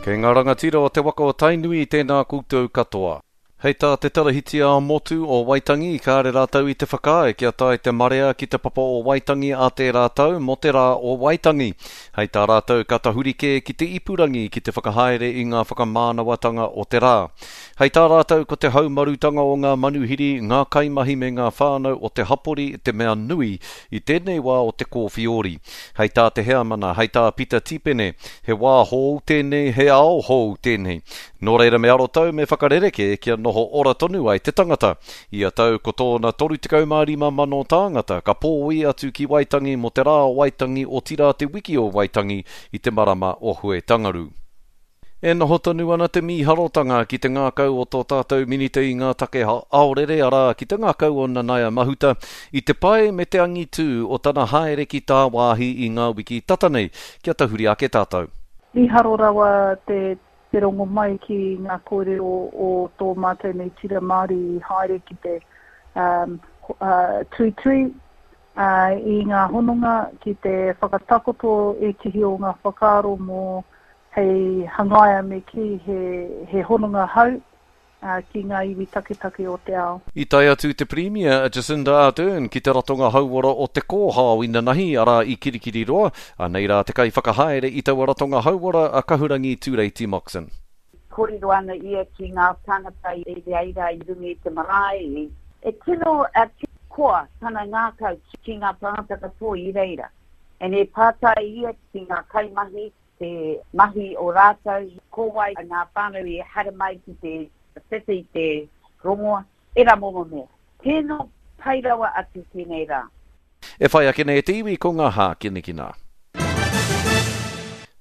Kei ngā rangatira o te waka o Tainui tēnā koutou katoa. Hei tā te Tarahiti ā-Motu o Waitangi, kāre rātou i te whakaae kia tae te marea ki te papa o Waitangi ā tērā tau mō te Rā o Waitangi. Hei tā rātou ka tahuri kē ki te ipurangi ki te whakahaere i ngā whakamānawatanga o te rā. Hei tā rātou ko te haumarutanga o ngā manuhiri, ngā kaimahi me ngā whānau o te hapori te mea nui i tēnei wā o te kōwhiori. Hei tā te heamana, hei tā Pita Tipene, he wā hou tēnei, he ao hou tēnei. Nō reira me arotau, me whakarerekē kia noho ora tonu ai te tangata. Ia tau ko tōna 35,000 tāngata ka pōi atu ki Waitangi mō te Rā o Waitangi otirā te Wiki o Waitangi i te marama o Huetangaru. E noho tonu ana te mīharotanga ki te ngākau o tō tātou Minita i ngā take aorere, arā, ki te ngākau o Nanaia Mahuta, i te pai me te angitū o tana haere ki tāwāhi i ngā wiki tata nei, kia tahuri ake tātou. Mīharo rawa te te rongo mai ki ngā kōrero o tō mātou nei tira Māori i haere ki te tuitui i ngā hononga ki te whakatakoto ētehi o ngā whakaaro mō hei hangaia me kī he, he hononga hau ki ngā iwi taketake o te ao. I tae atu te Pirimia a Jacinda Ardern ki te ratonga hauora o Te Kōhao inanahi, arā i Kirikiriroa, anei rā te kaiwhakahaere i taua ratonga hauora a Kahurangi Tureiti Moxon. Kōrero ana ia ki ngā tāngata i reira i runga i te marae. E tino koa tana ngākau ki ngā tāngata katoa i reira. And e pātai ia ki ngā kaimahi te mahi o rātou, ko wai ngā whānau i haere mai ki te whiwhi i te rongoa, ērā momo mea. Tino pai rawa atu tēnei rā. E whai ake nei e te iwi ko ngā hākinakina.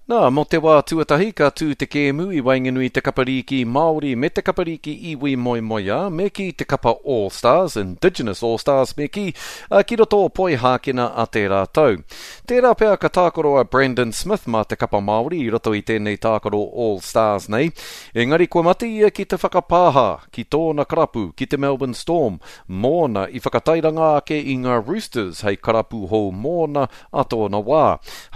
Nā, mō te wā tuatahi ka tū te kēmu i waenganui i te kapa rīki Māori me te kapa rīki iwi moemoeā, me kī te kapa All Stars, Indigenous All Stars me kī, ki roto o Poihākena a tērā tau. Tērā pea ka tākaro a Brandon Smith mā te kapa Māori i roto i tēnei tākaro All Stars nei, engari kua mate ia ki te whakapāha ki tōna karapu, ki te Melbourne Storm, mōna i whakatairanga ake i ngā Roosters hei karapu hou mōna a tōna wā.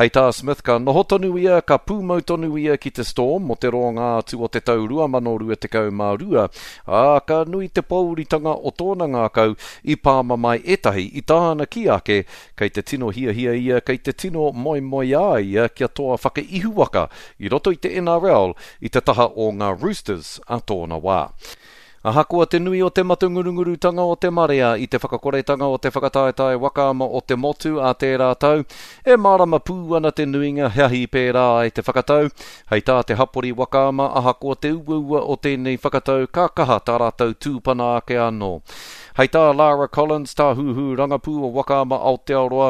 Hei tā Smith ka noho tonu ia, ka pūmau tonu ia ki te Storm mō te roanga atu o te tau 2022, ā, ka nui te pōuritanga o tōna ngākau i pāmamae ētahi i tāna kī ake Kei te tino hiahia ia, kei te tino moemoeā ia kia toa whakaihuwaka i roto i te NRL i te taha o ngā Roosters a tōna wā. Ahakoa te nui o te matangurungurutanga o te marea i te whakakoretanga o te whakataetae waka ama o te motu a tērā tau, e mārama pū ana te nuinga he ahi pērā ai te whakatau. Hei tā te hapori waka ama ahakoa te uaua o tēnei whakatau ka kaha tā rātou tūpana ake anō. Hei tā Lara Collins, Tāhuhu Rangapū o Waka Ama Aotearoa,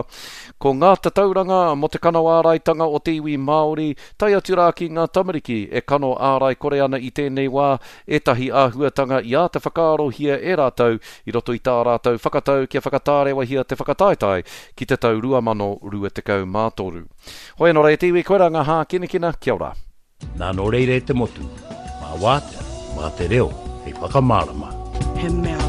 ko ngā tatauranga mō te kano āraitanga o te iwi Māori, tae atu rā ki ngā tamariki e kano ārai kore ana i tēnei wā, ētahi āhuatanga i āta whakaarohia e rātou i roto i tā rātou whakatau kia whakatārewahia te whakataetae ki te tau 2023. Hoi anō rā e te iwi, koirā ngā hākinakina, kia ora. Nā nō reira e te motu, mā Wātea, mā te reo hei whakamārama. He mea.